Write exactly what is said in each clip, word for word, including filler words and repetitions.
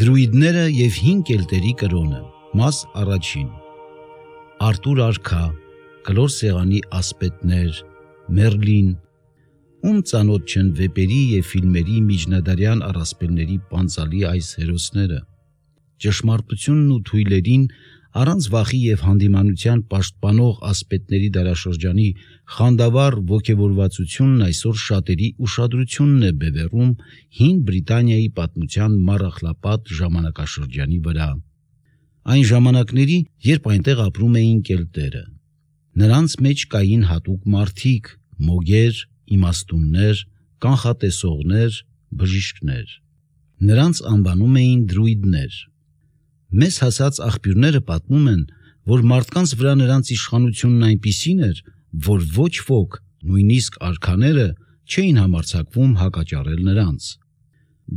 Դրուիդները եւ հին կելտերի կրոնը, մաս առաջին։ Արտուր արքա, կլոր սեղանի ասպետներ, Մերլին, ում ծանոթ չեն վեպերի եւ ֆիլմերի միջնադարյան առասպելների պանծալի այս հերոսները։ Ճշմարտությունն ու թույլերին առանց վախի եւ հանդիմանության պաշտպանող ասպետների դարաշրջանի խանդավառ ոգևորվածությունն այսօր շատերի ուշադրությունն է բևեռում հին Բրիտանիայի պատմության մառախլապատ ժամանակաշրջանի վրա։ Այն ժամանակների, երբ այնտեղ ապրում էին կելտերը։ Նրանց մեջ կային հատուկ մարդիկ, մոգեր, իմաստուններ, կանխատեսողներ, բժիշկներ։ Նրանց անվանում էին դրուիդներ։ Մեզ հասած աղբյուրները պատմում են, որ մարդկանց վրա նրանց իշխանությունն այնպիսին էր, որ ոչ ոք, նույնիսկ արքաները, չէին համարձակվում հակաճառել նրանց։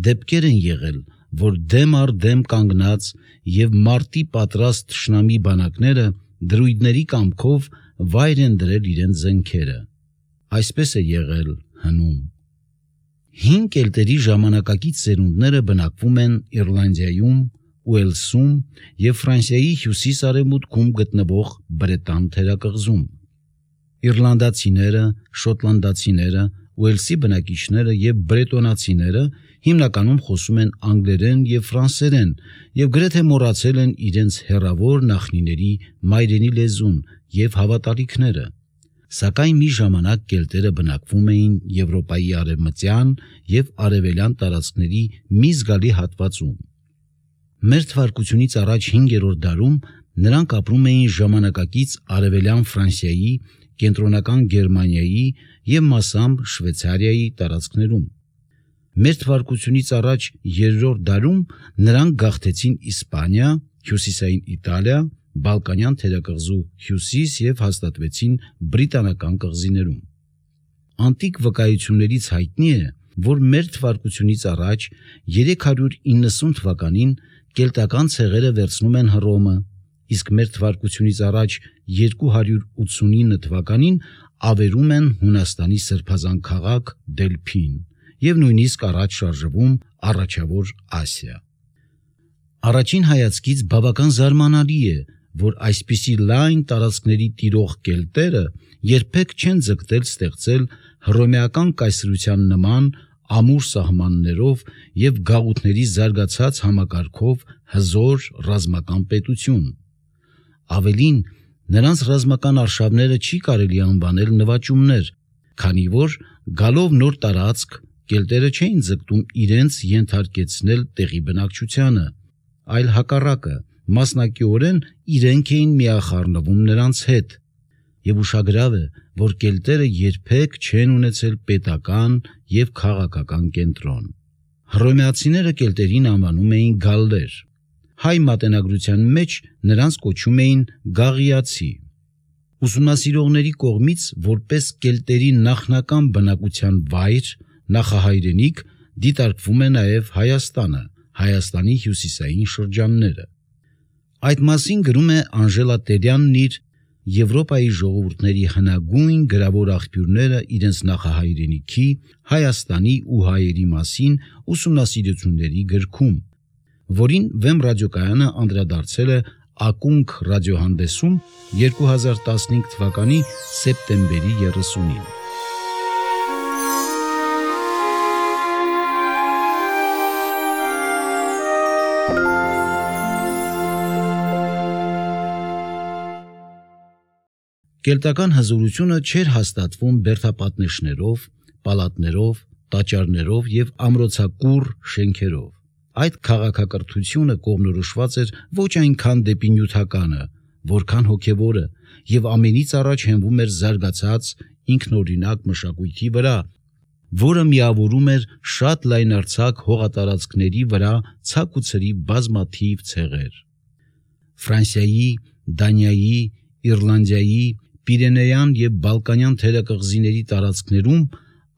Դեպքեր են եղել, որ դեմ առ դեմ կանգնած եւ մարտի պատրաստ թշնամի բանակները դրուիդների կամքով վայր են դրել իրենց զենքերը։ Այսպես է եղել հնում։ Հին կելտերի ժամանակակից սերունդները բնակվում են Իռլանդիայում, Ուելսում եւ Ֆրանսիայի հյուսիս-արևմուտքում գտնվող Բրետան թերակղզում։ Իռլանդացիները, շոտլանդացիները, Ուելսի բնակիչները եւ բրետոնացիները հիմնականում խոսում են անգլերեն եւ ֆրանսերեն եւ գրեթե մոռացել են իրենց հեռավոր նախնիների մայրենի լեզուն եւ հավատալիքները։ Սակայն մի ժամանակ կելտերը բնակվում էին Եվրոպայի արևմտյան եւ արևելյան տարածքների մի զգալի հատվածում։ Մեր թվարկությունից առաջ հինգերորդ դարում նրանք ապրում էին ժամանակակից արևելյան Ֆրանսիայի, կենտրոնական Գերմանիայի եւ մասամբ Շվեյցարիայի տարածքներում։ Մեր թվարկությունից առաջ երրորդ դարում նրանք գաղթեցին Իսպանիա, հյուսիսային Իտալիա, Բալկանյան թերակղզու հյուսիս եւ հաստատվեցին Բրիտանական կղզիներում։ Անտիկ վկայություններից հայտնի է, որ մեր թվարկությունից առաջ երեք հարյուր իննսուն թվականին կելտական ցեղերը վերցնում են Հռոմը, իսկ մեր թվարկությունից առաջ երկու հարյուր ութսունինը թվականին ավերում են Հունաստանի սրբազան քաղաք Դելփին եւ նույնիսկ առաջ շարժվում Առաջավոր Ասիա։ Առաջին հայացքից բավական զարմանալի է, որ այսպիսի լայն տարածքների տիրող կելտերը երբեք չեն ձգտել ստեղծել հռոմեական կայսրության նման ամուր սահմաններով եւ գաղութների զարգացած համակարգով հզոր ռազմական պետություն։ Ավելին, նրանց ռազմական արշավները չի կարելի անվանել նվաճումներ, քանի որ գալով նոր տարածք կելտերը չէին ձգտում իրենց ենթարկեցնել տեղի բնակչությանը, այլ հակառակը, մասնակիորեն իրենք էին միախառնվում նրանց հետ։ Եվ ուշագրավ է, որ կելտերը երբեք չեն ունեցել պետական եւ քաղաքական կենտրոն։ Հռոմեացիները կելտերին անվանում էին գալլեր։ Հայ մատենագրության մեջ նրանց կոչում էին գաղիացի։ Ուսումնասիրողների կողմից որպես կելտերի նախնական բնակության վայր, նախահայրենիք դիտարկվում է նաեւ Հայաստանը, Հայաստանի հյուսիսային շրջանները։ Այդ մասին գրում է Անժելա Տերյանն իր Եվրոպայի ժողովուրդների հնագույն գրավոր աղբյուրները իրենց նախահայրենիքի, Հայաստանի ու հայերի մասին ուսումնասիրությունների գրքում, որին Վեմ ռադիոկայանը անդրադարձել է Ակունք ռադիոհանդեսում երկու հազար տասնհինգ թվականի սեպտեմբերի երեսունին։ Կելտական հզորությունը չէր հաստատվում բերդապատնեշներով, պալատներով, տաճարներով եւ ամրոցակուռ շենքերով։ Այդ քաղաքակրթությունը կողմնորոշված էր ոչ այնքան դեպի նյութականը, որքան հոգևորը, եւ ամենից առաջ հենվում էր զարգացած ինքնօրինակ մշակույթի վրա, որը միավորում էր շատ լայնարձակ հողատարածքների վրա ցակ ու ցրի բազմաթիվ ցեղեր։ Ֆրանսիայի, Դանիայի, Իռլանդիայի, Պիրենեյան եւ Բալկանյան թերակղզիների տարածքներում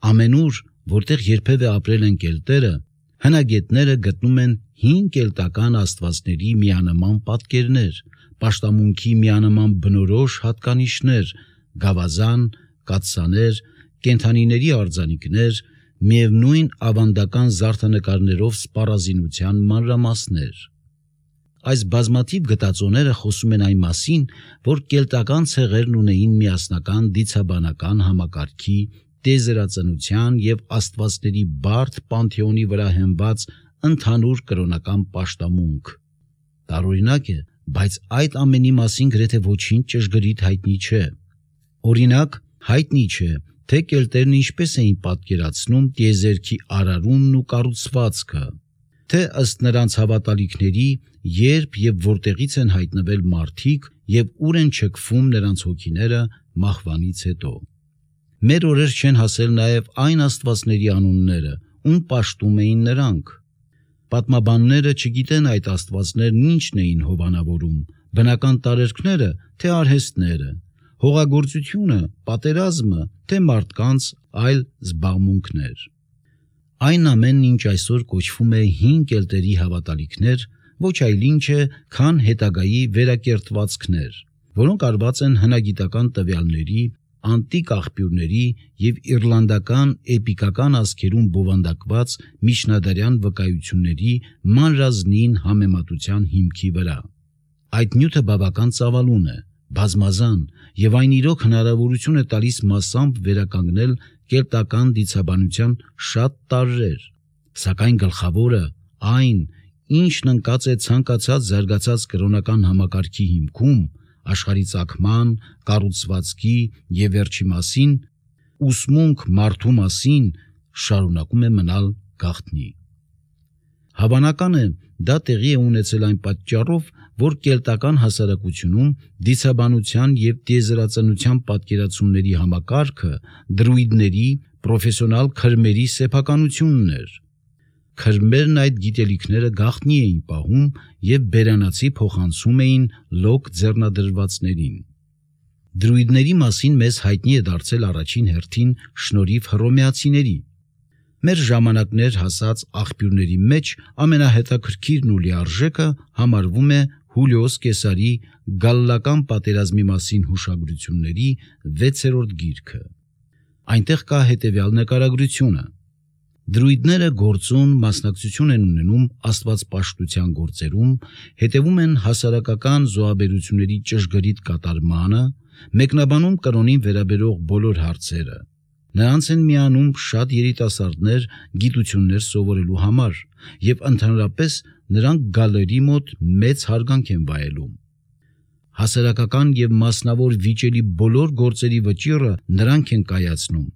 ամենուր, որտեղ երբևէ ապրել են կելտերը, հնագետները գտնում են հին կելտական աստվածների միանման պատկերներ, պաշտամունքի միանման բնորոշ հատկանիշներ, գավազան, կաթսաներ, կենդանիների արձանիկներ, միևնույն ավանդական զարդանկարներով սպառազինության մանրամասներ։ Այս բազմաթիվ գտածոները խոսում են այն մասին, որ կելտական ցեղերն ունեին միասնական դիցաբանական համակարգի, տիեզերածնության եւ աստվածների բարդ պանթեոնի վրա հենված ընդհանուր կրոնական պաշտամունք։ Տարօրինակ է, բայց այդ ամենի մասին գրեթե ոչինչ ճշգրիտ հայտնի չէ։ Օրինակ, հայտնի չէ, թե կելտերն ինչպես էին պատկերացնում տիեզերքի արարումն ու կառուցվածքը, թե ըստ նրանց հավատալիքների երբ եւ որտեղից են հայտնվել մարդիկ եւ ուր են չքվում նրանց հոգիները մահվանից հետո։ Մեր օրեր չեն հասել նաեւ այն աստվածների անունները, ում պաշտում էին նրանք։ Պատմաբանները չգիտեն այդ աստվածներն ինչն էին հովանավորում, բնական տարերքները, թե արհեստները, հողագործությունը, պատերազմը, թե մարդկանց այլ զբաղմունքներ։ Այն ամենն, ինչ այսօր կոչվում է հին կելտերի հավատալիքներ, ոչ այլ ինչ է, քան հետագայի վերակերտվածքներ, որոնք արված են հնագիտական տվյալների, անտիկ աղբյուրների եւ իռլանդական էպիկական ազգերում բովանդակված միջնադարյան վկայությունների մանրազնին համեմատության հիմքի վրա։ Այդ նյութը բավական ծավալուն է, բազմազան եւ այն իրոք հնարավորություն է տալիս մասամբ վերականգնել կելտական դիցաբանության շատ տարրեր, սակայն գլխավորը այն, ինչն ընկած է ցանկացած զարգացած կրոնական համակարգի հիմքում, աշխարհի ծագման, կառուցվածքի եւ վերջի մասին, ուսմունք մարդու մասին, շարունակում է մնալ գաղտնի։ Հավանական է, դա տեղի է ունեցել այն պատճառով, որ կելտական հասարակությունում դիցաբանության եւ տիեզերածնության պատկերացումների համակարգը դրուիդների, պրոֆեսիոնալ քրմերի սեփականությունն էր։ Քրմերն այդ գիտելիքները գաղտնի էին պահում եւ բերանացի փոխանցում էին լոկ ձեռնադրվածներին։ Դրուիդների մասին մեզ հայտնի է դարձել առաջին հերթին շնորհիվ հռոմեացիների։ Մեր ժամանակներ հասած աղբյուրների մեջ ամենահետաքրքիրն ու լիարժեքը համարվում է Հուլիոս Կեսարի Գալլական պատերազմի մասին հուշագրությունների վեցերորդ գիրքը։ Այնտեղ կա հետևյալ նկարագրությունը. Դրուիդները գործուն մասնակցություն են ունենում աստվածպաշտության գործերում, հետևում են հասարակական զոհաբերությունների ճշգրիտ կատարմանը, մեկնաբանում կրոնին վերաբերող բոլոր հարցերը։ Նրանց են միանում շատ երիտասարդներ գիտություններ սովորելու համար եւ ընդհանրապես նրանք գալերի մոտ մեծ հարգանք են վայելում։ Հասարակական եւ մասնավոր վիճելի բոլոր գործերի վճիռը նրանք են կայացնում։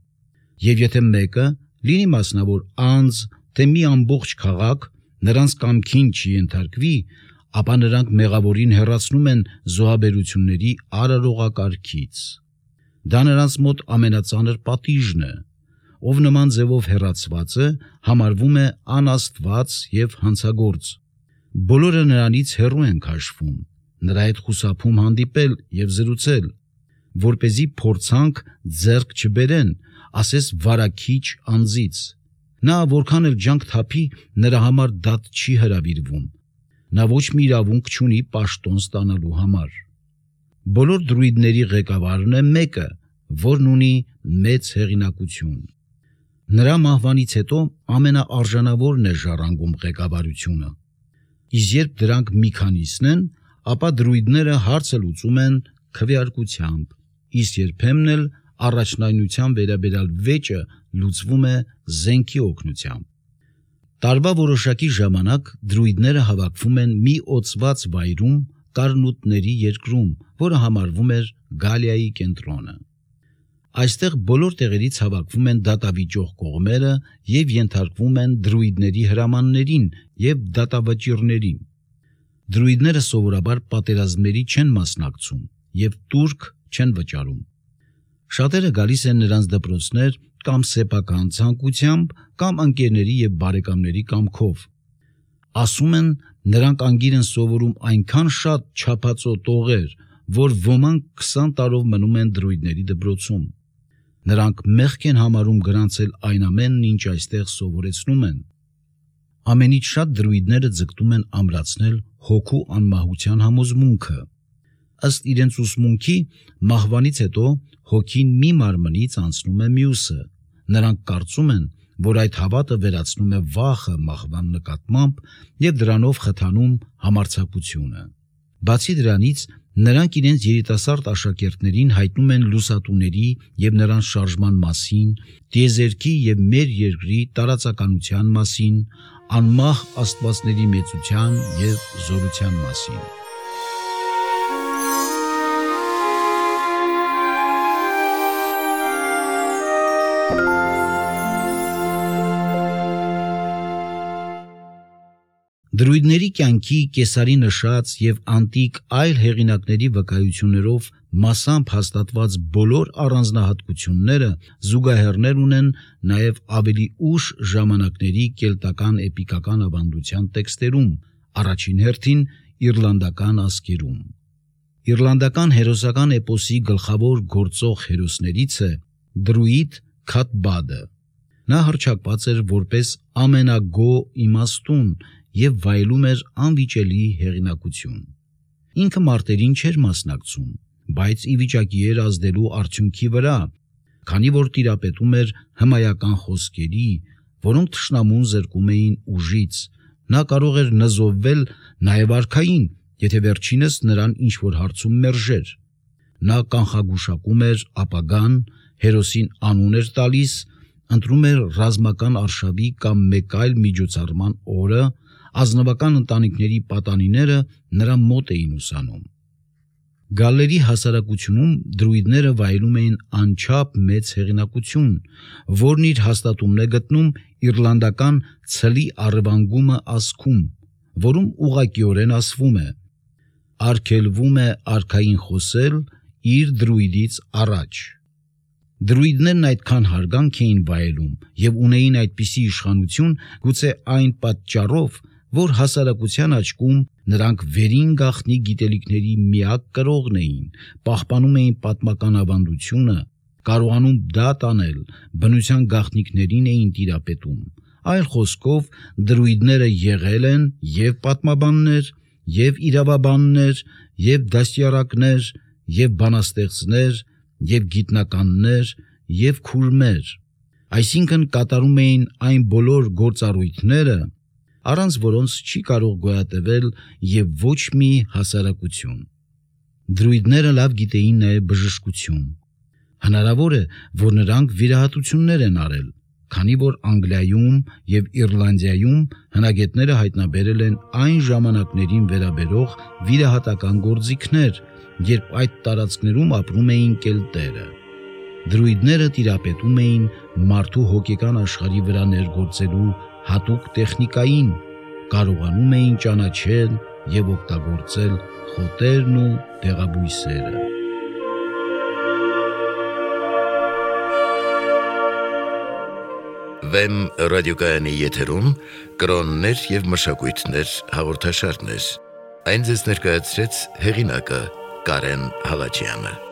Եվ եթե մեկը, լինի մասնավոր անձ, թե մի ամբողջ քաղաք, նրանց կամքին չի ենթարկվի, ապա նրանք մեղավորին հեռացնում են զոհաբերությունների արարողակարգից։ Դա նրանց մոտ ամենածանր պատիժն է, ով նման ձևով հեռացված է, համարվում է անաստված եւ հանցագործ։ Բոլորը նրանից հեռու են քաշվում, նրա հետ խուսափում հանդիպել եւ զրուցել, որպեսզի փորձանք ձեռք չբերեն, ասես վարակիչ անձից։ Նա որքան էլ ջանք թափի, նրա համար դատ չի հրավիրվում։ Նա ոչ մի իրավունք չունի պաշտոն ստանալու համար։ Բոլոր դրուիդների ղեկավարն է մեկը, որն ունի մեծ հեղինակություն։ Նրա մահվանից հետո ամենաարժանավորն է ժառանգում ղեկավարությունը։ Իսկ երբ դրանք մի քանիսն են, ապա դրուիդները հարցը լուծում են քվեարկությամբ, իսկ երբեմն էլ առաջնայնության վերաբերյալ վեճը լուծվում է զենքի օգնությամբ։ Տարվա որոշակի ժամանակ դրուիդները հավաքվում են մի օծված վայրում Կարնուտների երկրում, որը համարվում էր Գալիայի կենտրոնը։ Այստեղ բոլոր տեղերից հավաքվում են դատավիճող կողմերը եւ ենթարկվում են դրուիդների հրամաններին եւ դատավճիռներին։ Դրուիդները սովորաբար պատերազմների չեն մասնակցում եւ տուրք չեն վճարում։ Շատերը գալիս են նրանց դպրոցներ կամ սեփական ցանկությամբ, կամ ընկերների եւ բարեկամների կամքով։ Ասում են, նրանք անգիր են սովորում այնքան շատ չափածո տողեր, որ ոմանք քսան տարով մնում են դրուիդների դպրոցում։ Նրանք մեղք են համարում գրանցել այն ամենն, ինչ այստեղ սովորեցնում են։ Ամենից շատ դրուիդները ձգտում են ամրացնել հոգու անմահության համոզմունքը։ Ըստ իրենց ուսմունքի, մահվանից հետո հոգին մի մարմնից անցնում է մյուսը։ Նրանք կարծում են, որ այդ հավատը վերացնում է վախը մահվան նկատմամբ եւ դրանով խթանում համարձակությունը։ Բացի դրանից, նրանք իրենց երիտասարդ աշակերտներին հայտնում են լուսատուների եւ նրանց շարժման մասին, տիեզերքի եւ մեր երկրի տարածականության մասին, անմահ աստվածների մեծության եւ զորության մասին։ Դրույդների կյանքի Կեսարի նշած եւ անտիկ այլ հեղինակների վկայություններով մասամբ հաստատված բոլոր առանձնահատկությունները զուգահեռներ ունեն նաեւ ավելի ուշ ժամանակների կելտական էպիկական ավանդության տեքստերում, առաջին հերթին իռլանդական ասկերում։ Իռլանդական հերոսական էպոսի գլխավոր գործող հերոսներից է դրույդ Քաթբադը։ Նա հռչակված էր որպես ամենագոհ իմաստուն եւ վայելում էր անվիճելի հեղինակություն։ Ինքը մարտերին չէր մասնակցում, բայց ի վիճակի էր ազդելու արդյունքի վրա, քանի որ տիրապետում էր հմայական խոսքերի, որոնք թշնամուն զրկում էին ուժից։ Նա կարող էր նզովվել նաեւ արքային, եթե վերջինս նրան ինչ-որ հարցում մերժեր։ Նա կանխագուշակում էր ապագան, հերոսին անուն էր տալիս, ընտրում էր ռազմական արշավի կամ մեկ այլ միջոցառման օրը, ազնվական ընտանիքների պատանիները նրա մոտ էին ուսանում։ Գալլերի հասարակությունում դրույդները վայելում էին անչափ մեծ հեղինակություն, որն իր հաստատումն է գտնում իռլանդական ցլի առևանգումը ասքում, որում ուղղակիորեն ասվում է. «Արգելվում է արքային խոսել իր դրույդից առաջ»։ Դրույդներն այդքան հարգանք էին վայելում եւ ունեին այդպիսի իշխանություն գուցե այն պատճառով, որ հասարակության աչքում նրանք վերին գաղտնի գիտելիքների միակ կրողն էին, պահպանում էին պատմական ավանդությունը, կարողանում դա տանել, բնության գաղտնիքներին էին տիրապետում։ Այլ խոսքով, դրույդները եղել են եւ պատմաբաններ, եւ իրավաբաններ, եւ դաստիարակներ, եւ բանաստեղծներ, եւ գիտնականներ, եւ քուրմեր, այսինքն կատարում էին այն բոլոր գործառույթները, առանց որոնց չի կարող գոյատևել եւ ոչ մի հասարակություն։ Դրույդները լավ գիտեին նաեւ բժշկություն։ Հնարավոր է, որ նրանք վիրահատություններ են արել, քանի որ Անգլիայում եւ Իռլանդիայում հնագետները հայտնաբերել են այն ժամանակներին վերաբերող վիրահատական գործիքներ, երբ այդ տարածքներում ապրում էին կելտերը։ Դրույդները տիրապետում էին մարդու հոգեկան աշխարհի վրա ներգործելու հատուկ տեխնիկային, կարողանում էին ճանաչել եւ օգտագործել խոտերն ու դեղաբույսերը։ Վեմ ռադիոկայանի եթերում կրոններ եւ մշակույթներ հաղորդաշարներ։ Այն ձեզ ներկայացրեց հեղինակը Կարեն Հալաջյանը։